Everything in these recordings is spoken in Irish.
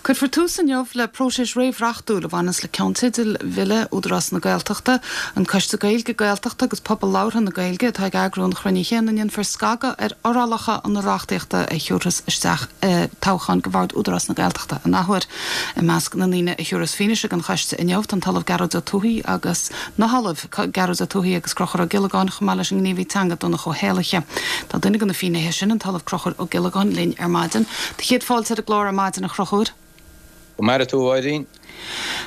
Cuirfear tús inniu le próiseas réamhreachtúil a bhaineas le ceannteidil Bhille Údarás na Gaeltachta, an Coiste Gaeilge, Gaeltachta agus Pobal Labhartha na Gaeilge atá ag eagrú an chruinnithe ina ndéanfar scagadh ar fhorálacha na reachtaíochta a thiúrfas isteach toghcháin do Bhord Údarás na Gaeltachta an athuair. I measc na ndaoine a thiúrfas fianaise don choiste inniu tá an tOllamh Gearóid Ó Tuathaigh agus na hOllaimh Gearóid Ó Tuathaigh agus Conchúr Ó Giollagáin chomh maith leis an ngníomhaí teanga Donncha Ó hÉallaithe. Tá duine de na finnéithe sin, an tOllamh Conchúr Ó Giollagáin, linn ar maidin. Do chéad fáilte ar an gclár ar maidin, a Chonchúir. Go maire tú, a Mháirín.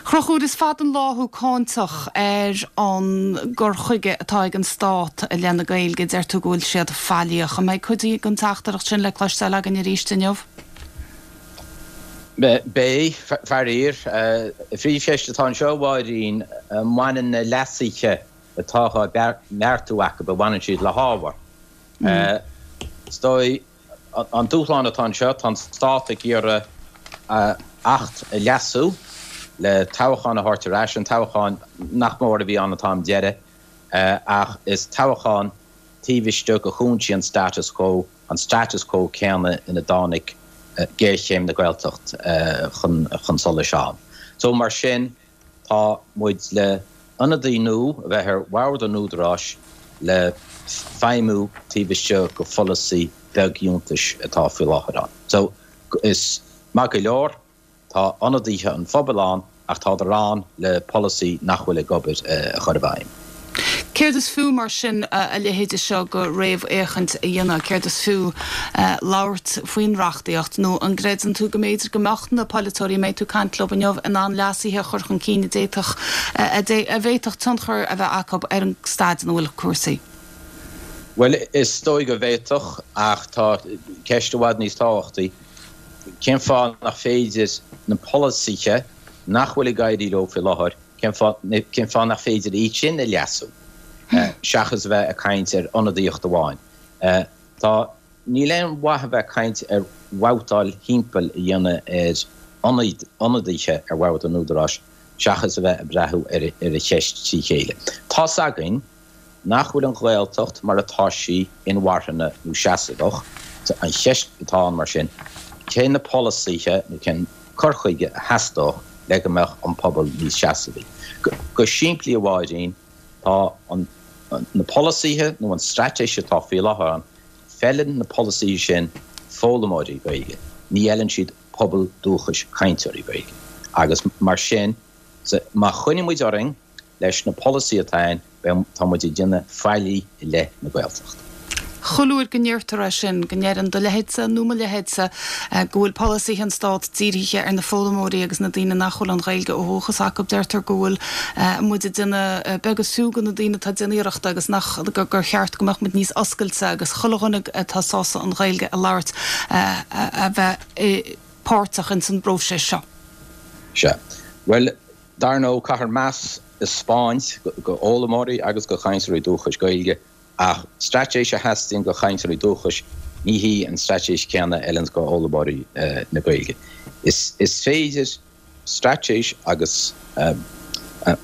Chonchúir, is fada an lá thú cáinteach ar an gcur chuige atá ag an Stát i leith na Gaeilge. Deir tú go bhfuil siad faillíoch. An mbeidh cuid den teachtaireacht sin le cloisteáil againn arís inniu? Beidh, faraor. An phríomhcheist atá anseo, a Mháirín, an mbaineann na leasuithe atá á mbeartú acu, an mbaineann siad le hábhar? Is dóigh, an dúshlán atá anseo, tá an Stát ag iarraidh Acht a leasú le toghchán a thabhairt ar ais, an toghchán nach mór a bhí ann an t-am deiridh, ach is toghchán taobh istigh de chúinsí an status quo, an status quo céanna ina dtáinig géarchéim na Gaeltacht chun solais ann. So mar sin, tá muid le ionadaí nua a bheith ar bhord an Údaráis le feidhmiú taobh istigh de pholasaí beagfhiúntais atá faoi láthair ann. So is maith go leor Tá ionadaithe an phobail ann ach tádar ann le polasaí nach bhfuil ag obair a chur i bhfeidhm. Céard is fiú mar sin a leithéide seo de réamhfhéachaint a dhéanamh? Céard is fiú labhairt faoin reachtaíocht? Nó an gcreideann tú go mb'fhéidir go mbeadh na polaiteoirí a mbeidh tú ag caint leo inniu in ann leasuithe a chur chun cinn a d'fhéadfadh, a bhféadfadh tionchar a bheith acu ar an staid ina bhfuil cúrsaí? Bhuel, is dóigh go bhféadfadh ach tá ceist i bhfad níos tábhachtaí. Cén fáth nach féidir na polasaithe nach bhfuil ag éirí leo faoi láthair, cén fáth, cén fáth nach féidir iad sin a leasú, seachas a bheith ag caint ar ionadaíocht amháin? Tá, níl aon mhaith a bheith ag caint ar bhabhtáil thimpeall a dhéanamh ar ionadaithe ar bhord an Údaráis seachas a bheith ag breathú ar an cheist trí chéile. Tá's againn nach bhfuil an Ghaeltacht mar atá sí inmharthana nó seasmhach. An cheist atá ann mar sin, cé na polasaithe nó cén cur chuige a theastódh le go mbeadh an pobal níos seasmhaí? Go simplí a Mháirín, tá an na polasaithe nó an straitéis atá faoi láthair ann, feileann na polasaithe sin foghlaimeoirí Gaeilge, ní fheileann siad pobal dúchais cainteoirí Gaeilge. Agus mar sin, má choinníonn muid orainn leis na polasaithe atá ann, beidh, tá muid ag déanamh faillí i leith na Gaeltachta. Chuile uair go ndeirtear é sin, go ndeireann do leithéidse nó mo leithéidse go bhfuil polasaithe an Stát dírithe ar na foghlaimeoirí agus na daoine nach bhfuil an Ghaeilge ó dhúchas acu, deirtear go bhfuil muid ag déanamh beag is fiú de na daoine atá ag déanamh iarrachta agus nach, gur cheart go mbeadh muid níos oscailte agus chuile dhuine atá sásta an Ghaeilge a labhairt a bheith páirteach ins an bpróiseas seo. Sea. Bhuel, Dar ndóigh, caithfear meas a 'speáint go fhoghlaimeoirí agus go chainteoirí dúchais Gaeilge, ach straitéis a theastaíonn go chainteoirí dúchais, ní hí an straitéis céanna a fheileanns go fhoghlaimeoirí na Gaeilge. Is féidir straitéis agus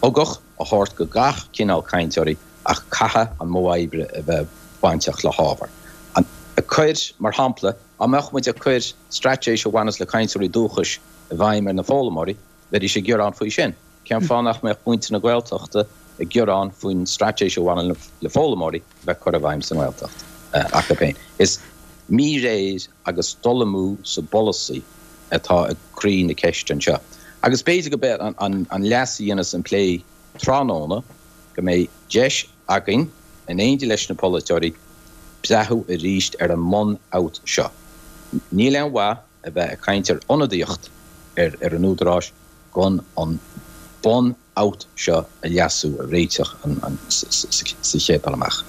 ugach a thabhairt go gach cineál cainteoirí ach caithfidh an modh oibre a bheith bainteach le hábhar. Ag cur, mar shampla, dá mbeadh muid ag cur straitéis a bhaineas le cainteoirí dúchais i bhfeidhm ar na foghlaimeoirí, Bheidís ag gearán faoi sin. Cén fáth nach mbeadh muintir na Gaeltachta ag gearán faoin straitéis a bhaineann le foghlaimeoirí a bheith curtha i bhfeidhm sa nGaeltacht acu féin? Is míréir agus dul amú sa bpolasaí atá ag croí na ceiste anseo. Agus b'fhéidir go b'é an leas a dhéanfas an plé tráthnóna go mbeidh deis againn, in éindí leis na polaiteoirí, breathú arís ar an mbunfhabht seo. Níl aon mhaith a bheith ag caint ar ionadaíocht ar an Údarás gan an bunfhabht seo a leasú, a réiteach sa chéad dul amach.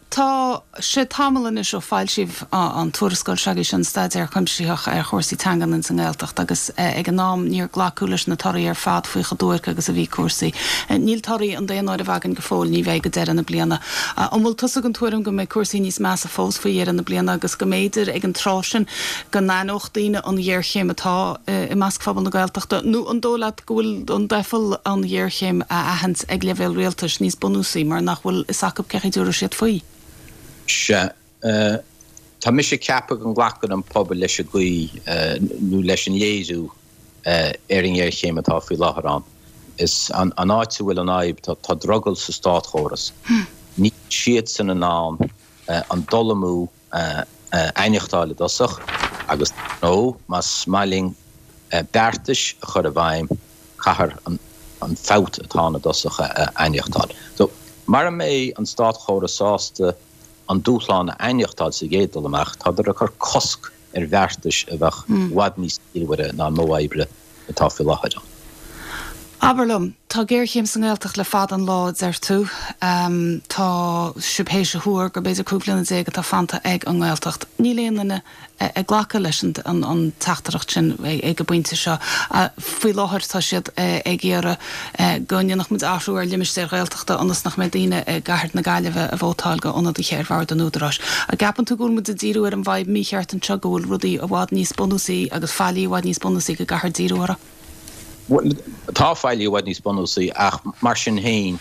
Tá sé tamall anois ó foilsíodh an tuarascáil seo agaibhse, an staidéar cuimsitheach ar chúrsaí teangan ins an nGaeltacht agus ag an am níor glacadh leis na torthaí ar fad faoi chomh duairc agus a bhí cúrsaí. Níl torthaí an daonáirimh againn go fóill, ní bheidh go deireadh na bliana. An bhfuil tusa den tuairim go mbeidh cúrsaí níos measa fós faoi dheireadh na bliana agus go mb'fhéidir ag an tráth sin go n-aithneodh daoine an ghéarchéim atá i measc phobal na Gaeltachta nó an dóigh leat go bhfuil an doicheall an ghéarchéim a aithint ag leibhéal rialtais níos bunúsaí mar nach bhfuil fhios acu cén chaoi a dtabharfaidh siad faoi? Sea. Tá mise ag ceapadh go nglacann an pobal leis an gcaoi nó leis an léiriú ar an ngéarchéim atá faoi láthair ann. Is an áit a bhfuil an fhadhb, tá drogall sa státchóras. Níl siadsan in ann an dul amú a aithneachtáil i dtosach agus, nó más maith linn beartais a chur i bhfeidhm, caithfear an fabht atá ann i dtosach a aithneachtáil. So, mara mbeidh an státchóras sásta an dúshlán a aithneachtáil sa gcéad dul amach, tádar ag cur cosc ar bheartais a bheadh i bhfad níos ciallmhaire ná an modh oibre atá faoi láthair ann. Abair liom, tá géarchéim sa nGaeltacht le fada an lá, a deir tú. Tá sibh théis a thuar gur b'fhéidir 15 bliana atá fanta ag an nGaeltacht. Níl aon duine ag glacadh leis an teachtaireacht sin ag an bpointe seo. Faoi láthair tá siad ag iarraidh go ndéanfadh muid athrú ar limistéir Ghaeltachta ionas nach mbeidh daoine i gcathair na Gaillimhe ag vótáil go ionadaithe ar bhord an Údaráis. An gceapann tú go bhfuil muid ag díriú ar an bhfadhb mícheart anseo, go bhfuil rudaí i bhfad níos bunúsaí agus faillí i bhfad níos bunúsaí go gcaithfear díriú orthu? Bhuel, tá faillí i bhfad níos bunúsaí ach mar sin féin,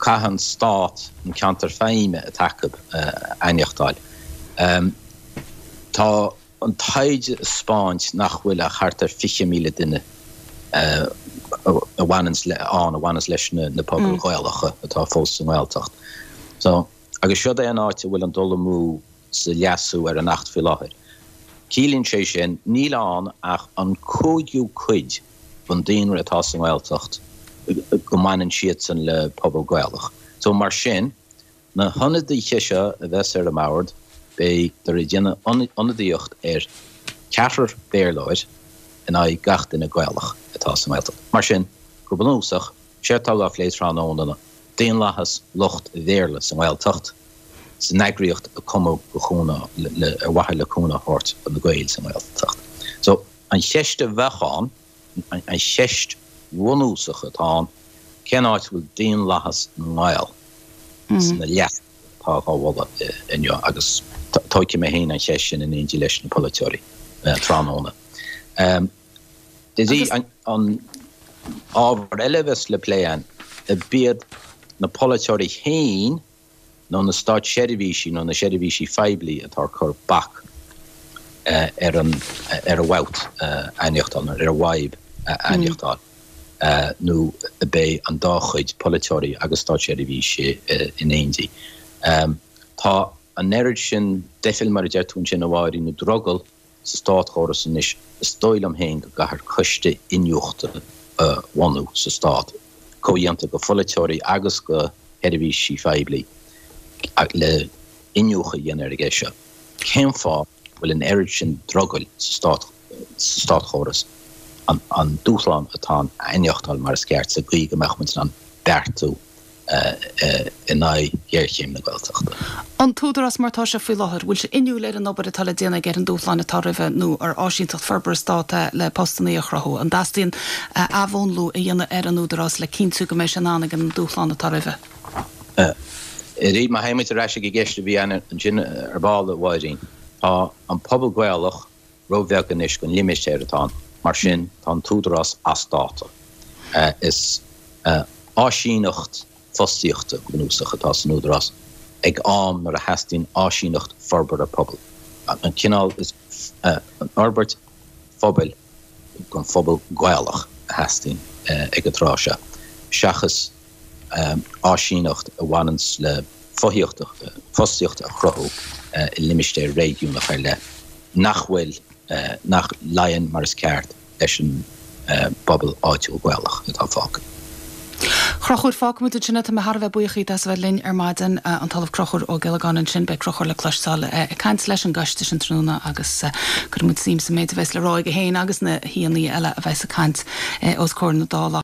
Caithfidh an Stát an ceantar feidhme atá acu a aithneachtáil. Tá an taighde ag 'spáint nach bhfuil ach thart ar 20,000 duine a bhaineanns le, ann a bhaineanns leis na pobail Ghaelacha atá fós sa nGaeltacht. So, agus siod é an áit a bhfuil an dul amú sa leasú ar an Acht faoi láthair. Ciallaíonn sé sin, níl ann ach an cúigiú cuid den daonra atá sa nGaeltacht go mbaineann siadsan le pobal Gaelach. So mar sin, na hionadaithe seo a bheas ar an mbord, beidar ag déanamh ionadaíocht ar ceathrar Béarlóir in aghaidh gach duine Gaelach atá sa nGaeltacht. Mar sin, go bunúsach, séard atá á phlé tráthnóna ná daonlathas lucht Bhéarla sa nGaeltacht, san eagraíocht a cumadh go chúnamh le, ar mhaithe le cúnamh a thabhairt do na Gaeil sa nGaeltacht. So, an cheist a bheadh ann, an cheist bhunúsach atá ann, cén áit a bhfuil daonlathas na nGael sna leasuithe atá á mholadh inniu? Agus tógfaidh mé féin an cheist sin in éindí leis na polaiteoirí tráthnóna. An ábhar eile a bheas le plé ann, ab iad na polaiteoirí féin nó na státseirbhísí nó na seirbhísí phoiblí atá ag cur bac ar an ar an bhfabht a aithneachtáil nó ar an bhfadhb a aithneachtáil nó ab é an dá chuid, polaiteoirí agus státseirbhísigh in éindí. Tá an oiread sin doichill, mar a deir tú ansin, a Mháirín, nó drogall sa státchóras anois, is dóigh liom féin go gcaithfear coiste iniúchta a bhunú sa stát, comhdhéanta de pholaiteoirí agus de sheirbhísigh phoiblí, le iniúchadh a dhéanamh ar an gceist seo. Cén fáth a bhfuil an oiread sin drogaill sa státchóras an dúshlán atá ann a aithneachtáil mar is ceart sa gcaoi go mbeadh muid in ann beartú in aghaidh ghéarchéim na Gaeltachta. An tÚdarás mar atá sé faoi láthair, bhfuil sé inniúil ar an obair atá le déanamh aige ar an dúshláin atá roimhe nó ar áisínteacht forbartha stát é le postannaí a chruthú? An dteastaíonn athmhúnlú a dhéanamh ar an Údarás le cinntiú go mbeidh sé in ann ag an dúshlán atá roimhe? Arís, má théimid ar ais ag an gceist a bhí ann ansin ar ball, a Mháirín, tá an pobal Gaelach róbheag anois don limistéar atá ann, mar sin tá an tÚdarás as dáta. Is áisíneacht fostaíochta go bunúsach atá san Údarás ag am nuair a theastaíonn áisíneacht forbartha pobail. An cineál is an fhorbairt phobail don phobal Gaelach a theastaíonn ag an tráth seo, seachas áisíneacht a bhaineanns le fothaíocht, fostaíocht a chruthú i limistéar réigiúnach ar leith nach bhfuil, nach luíonn mar is ceart leis an bpobal áitiúil Gaelach atá fágtha. Chonchúir, fágfaimid ansin é. Tá mé thar a bheith buíoch díot as a bheith linn ar maidin. An tOllamh Conchúr Ó Giollagáin ansin. Beidh Conchúr le cloisteáil ag caint leis an gcoiste sin tráthnóna agus cuirfidh muid suim sa méid a bheas le rá aige féin agus na haíonna eile a bheas ag caint os comhair na Dála.